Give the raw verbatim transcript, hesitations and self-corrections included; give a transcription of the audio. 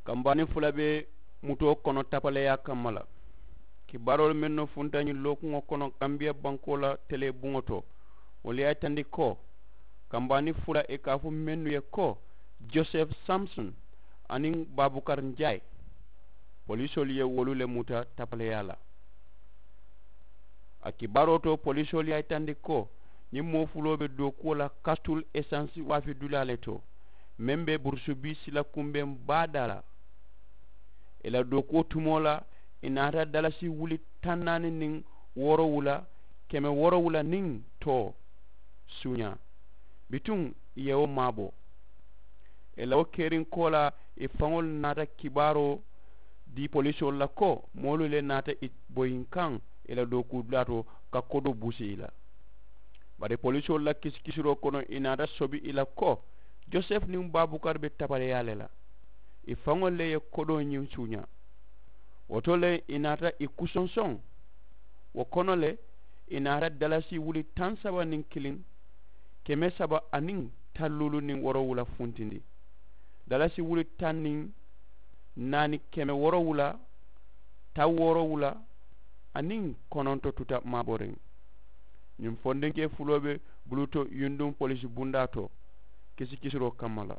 Kambaani fula be mutoo kono tapaleyaa kamma la. Kibaaroolu mennu funta ñiŋ lookuŋo kono kambiya bankoo la telee buŋo to, wolu ye a yitandi ko kambaani fula i ka a fo mennu ye ko, joseph samson aniŋ babukar njay, polisoolu ye wolu le muta tapaleyaa la. A kibaaroo to polisoolu ye a yitandi ko ñiŋ moo fuloo be dookuwo la kastul esansi waafi dulaa le to, meŋ be burusubii sila kumbeŋ baa daa la. I la dookuwo tumoo la i naata dalasi wuli taŋ naani niŋ woorowula, keme woorowula niŋ too suuñaa. Bituŋ i ye wo maabo. I la wo keriŋ koolaa i faŋolu naata kibaaroo dii polisoolu la ko moolu le naata i boyinkaŋ i la dookuu dulaa to ka kodoo busi i la. Bari polisoolu la kisikisiroo kono i naata sobi i la ko joseph niŋ babukar be tabaleyaa le la. I faŋolu le ye kodoo ñiŋ suuñaa. Wo to le i naata i kusonsoŋ. Wo kono le i naata dalasi wuli taŋ saba niŋ kiliŋ, keme saba aniŋ taŋ luulu niŋ woorowula funtindi. Dalasi wuli taŋ niŋ naani keme woorowula taŋ woorowula aniŋ kononto tuta maaboriŋ. Ñiŋ fondinkee fuloo be buluto yunduŋ polisi bundaa to kisikisiroo kamma la.